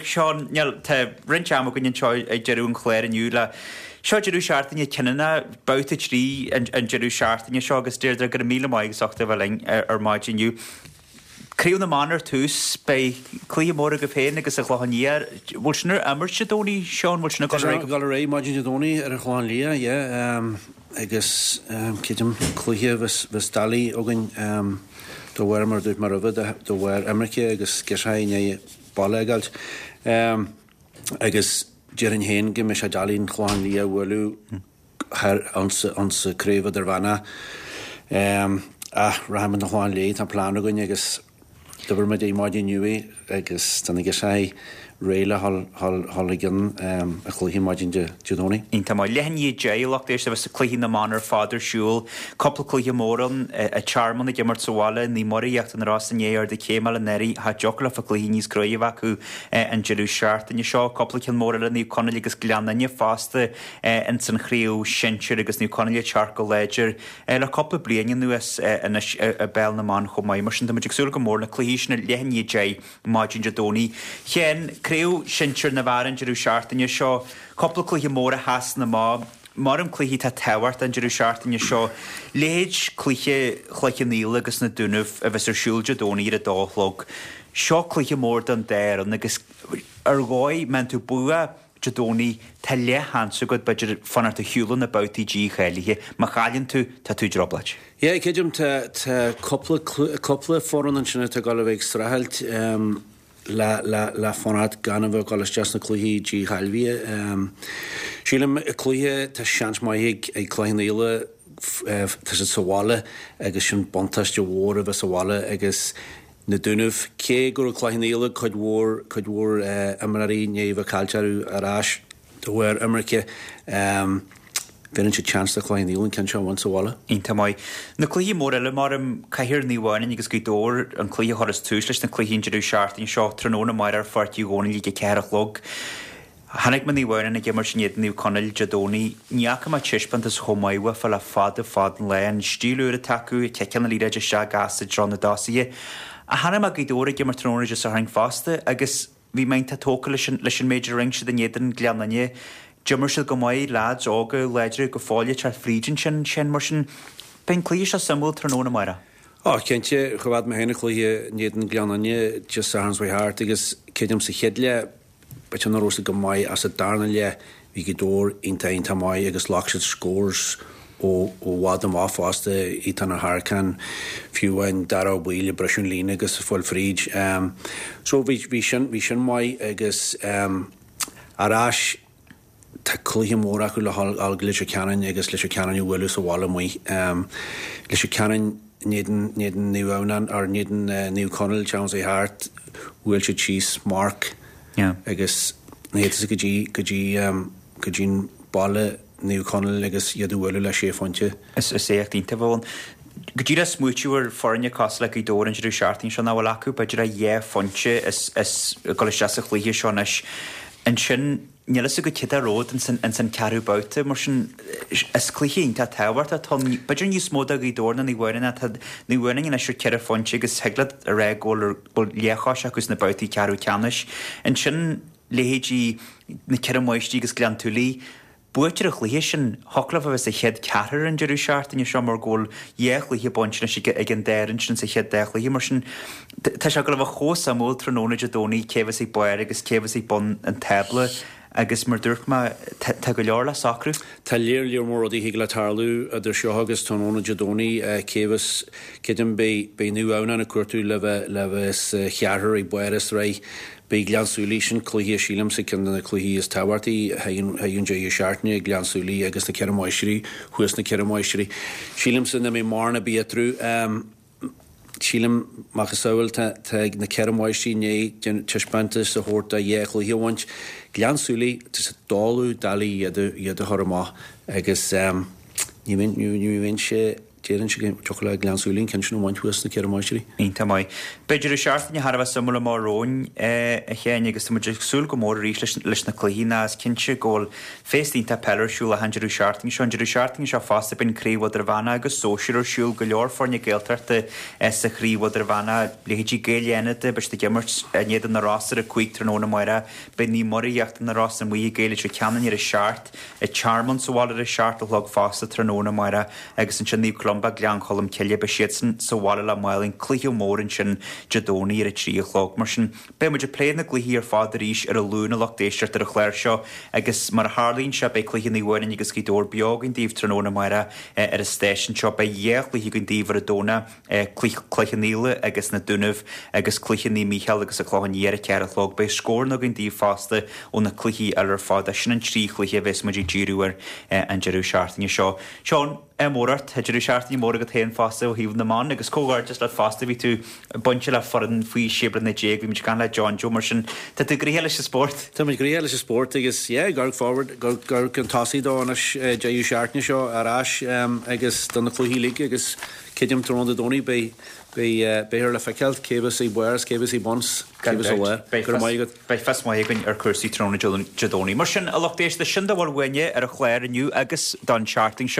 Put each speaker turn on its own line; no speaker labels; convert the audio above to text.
Seán, níl, tá roinnt ama againn anseo ag deireadh an chláir inniu le, seo deireadh seachtaine cinniúnach, babhta 3 an deireadh seachtaine seo agus Deirdre, go raibh míle maith agat as ucht a bheith linn ar maidin inniu. Craobh na mBan ar tús, beidh cluiche mór agaibh féin agus an Chlochán Liath. Bhfuil sin ar imirt Dé Domhnaigh, Seán? Bhfuil sin ag dul ar aghaidh?
Tá sin ag dul ar aghaidh maidin Dé Domhnaigh ar an Chlochán Liath, yeah. Agus creidim cluiche a bheas doiligh againn de bharr, mar a dúirt mé roimhe, de bharr imirce agus girseachaí i ndiaidh baile a fhágáilt. Agus déarfainn féin go mbeidh sé doiligh an Chlochán Liath a bhualadh. thoir insa craobh idirmheánach. Ach rachaimid an Chlochán Liath, tá plean againn agus dúirt muid é maidin inniu é agus tá na girseachaí réidh le dhul i gcionn an chluiche maidin Dé Domhnaigh.
Iontach maith. Leath i ndiaidh 10, lucht éisteachta, a bheas cluichí na mban ar fad ar siúl. Cúpla cluiche mór ann, An Tearmann ag imirt sa bhaile, Naomh Muire Íochtar na Rosa i ndiaidh ardú céime a fháil anuraidh, cha dtiocfadh leofa cluiche níos cruaidhe a bheith acu an deireadh seachtaine seo. Cúpla ceann mór eile, Naomh Conaill agus Gleann Fhinne fosta. ins an chraobh shinsir agus Naomh Conaill ag teacht go láidir le cúpla bliain anuas anois i bpeil na mban chomh maith. Mar sin tá muid ag súil go mór na cluichí sin ar leath i ndiaidh 10 maidin Dé Domhnaigh. Sheáin, craobh shinsir na bhfear an deireadh seachtaine seo, cúpla cluiche mór a sheasann amach, mar cluichí atá tábhachtach an deireadh seachtaine seo, leithéid cluiche Chloich Cheann Fhaola agus na Dúnaibh a bheas ar siúl Dé Domhnaigh ar a dó a chlog. Seo cluiche mór don dá fhoireann agus ar dhóigh, má bhíonn tú bua Dé Domhnaigh, tá leathsheans agat, b'fhéidir, fanacht ar shiúl na babhtaí dícháilithe. Má chailleann tú, tá tú i dtrioblóid.
Yeah, creidim, tá, tá cúpla, cúpla foireann ansin atá ag dul a bheith ag streachailt le, le, le fanacht gan a bheith ag dul isteach sna cluichí dícháilithe. Sílim, cluiche, tá seans maith ag, ag Cloich Cheann Fhaola, tá siad sa bhaile agus sin buntáiste mhór a bheith sa bhaile agus, Na Dúnaibh, cé go raibh Cloich Cheann Fhaola cuid mhór, cuid mhór imreoirí i ndiaidh a bheith caillte acu ar ais de bharr imirce, bheireann siad seans do Chloich Cheann Fhaola an ceann seo a bhaint sa bhaile.
Iontach maith. Na cluichí móra eile, mar Cathair Naomh Adhamhnáin agus Gaoth Dobhair, an cluiche a chuireas tús leis na cluichí an deireadh seachtaine seo, tráthnóna amárach ar Pháirc Uí Dhónaill ag a 4 a chlog. Chonaic mé Naomh Adhamhnáin ag imirt in éadan Naomh Conaill Dé Domhnaigh. Ní fhaca mé taispeántas chomh maith uafa le fada fada an lá. An stíl úr atá acu, ag ciceáil na liathróide isteach gasta i dtreo na dtosaithe. Ach chonaic mé Gaoth Dobhair ag imirt tráthnóna Dé Sathairn fosta agus bhí mé iontach tógtha leis an leis an méid a rinne siad in éadan Gleann Fhinne. D'imir siad go maith, leaids óga, láidre go fóill ag teacht fríd ansin, sin mar sin. Beidh an cluiche seo suimiúil tráthnóna amárach.
Ó, cinnte, choimhéad mé féin an cluiche in éadan Gleann Fhinne Dé Sathairn seo thart agus creidim sa chéad leath, B'fhéidir nach raibh siad go maith ach sa darna leath bhí Gaoth Dobhair iontach iontach maith agus ghlac siad scores ó i bhfad amach fosta, Ethan Ó hEarcáin, fiú amháin Dara Ó Baoill ag briseadh an líne agus ag fáil fríd. So bhí bhí sin bhí sin maith agus ar ais Tá cluiche mór acu le dhul go Leitir Ceanainn agus Leitir Ceanainn a bhualadh sa bhaile amuigh. Leitir Ceanainn in éadan in éadan Naomh Adhamhnáin or in éadan Naomh Conaill an tseachtain seo thart bhuail siad síos marc agus ní fhéadfadh go dtí go dtí go dtí an baile Naomh Conaill agus iad a bhualadh le sé phointe.
Is éacht iontach a bheadh ann. Go díreach smaoitiú ar foirne cosúil le Gaoth Dobhair an deireadh seachtaine seo nach bhfuil acu b'fhéidir ach dhá phointe is is ag dul isteach sa chluiche seo anois. Ansin níl fhios agat cad é rud ins an ins an ceathrú babhta mar sin is cluiche iontach tábhachtach atá ann. B'fhéidir níos mó do Ghaoth Dobhair ná Naomh Adhamhnáin tá Naomh Adhamhnáin anois ar cheithre phointe agus thig leat a rá go bhfuil go bhfuil leathchois acu sna babhtaí ceathrú ceannais. Ansin leithéidí na Ceithre Máistrí agus Gleann tSúilí Buaiteoir an chluiche sin, thiocfadh leo a bheith sa chéad cheathrar an deireadh seachtaine seo mar go bhfuil dhá chluiche bainte anois ag an dá fhoireann sin sa chéad dá chluiche. Mar sin, tá sé ag dul a bheith chomh suimiúil tráthnóna Dé Domhnaigh cé a bheas ag barr agus cé a bheas ag bun an tábla agus mar dúirt mé, tá go leor le socrú.
Tá lear lear mór rudaí a thig le tarlú idir seo agus tráthnóna Dé Domhnaigh. Cé a bheas, creidim, beidh Naomh Adhamhnáin ag cuartú le bheith le bheith sa cheathrar ag barr an tsraith. Beidh Gleann tSúilí, sin cluiche, sílimse, ceann de na cluichí is tábhachtaí a thagann an deireadh seachtaine, Gleann tSúilí agus na Ceithre Máistrí, thuas na Ceithre Máistrí. Sílimse nach mbeidh mórán ar bith eatarthu. Sílim, macasamhail, tá na Ceithre Máistrí i ndiaidh taispeántas a thabhairt do dhá chluiche a bhaint. Gleann tSúilí, tá sé doiligh, doiligh iad a chur amach agus ní bheidh sé. Déarfainnse go dtiocfadh le Gleann tSúilí an ceann sin a bhaint thuas sna Ceithre Máistrí.
Iontach maith. Beidh deireadh seachtaine thar a bheith suimiúil amach romhainn, a Sheáin, agus tá muid ag súil go mór arís leis na cluichí ná is cinnte go bhfuil féasta iontach peile ar siúl achan deireadh seachtaine seo. An deireadh seachtaine seo fosta beidh an Craobh Idirmheánach agus Sóisir ar siúl, go leor foirne Gaeltachta sa Chraobh Idirmheánach, leithéidí Gaeil Fhánada, beidh siad ag imirt in éadan na Rosa ar a 5 tráthnóna amárach, beidh Naomh Muire Íochtar na Rosa amuigh ag Gaeil Leitir Ceanainn ar a 7. An Tearmann sa bhaile ar a 7 a chlog fosta tráthnóna amárach agus ansin Naomh Columba, Gleann Cholm Cille, beidh siadsan sa bhaile le Málainn, cluiche mór ansin Dé Domhnaigh ar a 3 a chlog. Mar sin, beidh muid ag plé na gcluichí ar fad arís ar an Luan a lucht éisteachta ar an chlár seo agus mar a tharlaíonn sé beidh cluiche Naomh Adhamhnáin agus Gaoth Dobhair beo againn daoibh tráthnóna amárach ar an stáisiún seo. Beidh dhá chluiche againn daoibh ar an Domhnach. Cluiche Naola agus na Dúnaibh agus cluiche Naomh Mícheál agus an Clochán Liath ar a 4 a chlog. Beidh scóranna againn daoibh fosta ó na cluichí eile ar fad. Sin an trí chluiche a bheas muid ag díriú air an deireadh seachtaine seo. Seán, ádh mór ort. Tá deireadh seachtaine mór agat féin fosta ó thaobh na mban agus comhghairdeas leat fosta. Bhí tú bainte le foireann faoi 16 bliana. Bhí muid ag caint le John Joe mar sin tá tú gnoitheach leis an spórt.
Tá muid gnoitheach leis an spórt agus yeah, ag amharc forward, ag amharc chun tosaigh dó anois deireadh seachtaine seo ar ais agus do na cluichí uilig agus Creidim tráthnóna Dé Domhnaigh beidh beidh beifear le feiceáil cé bheas ag barr is cé bheas ag bun 's cé bheas sa lár. Go raibh maith agat.
Beidh fios maith againn ar chúrsaí tráthnóna Dé Domhnaigh. Mar sin, a lucht éisteachta, sin dá bhfuil uainne ar an chlár inniu agus don tseachtain seo.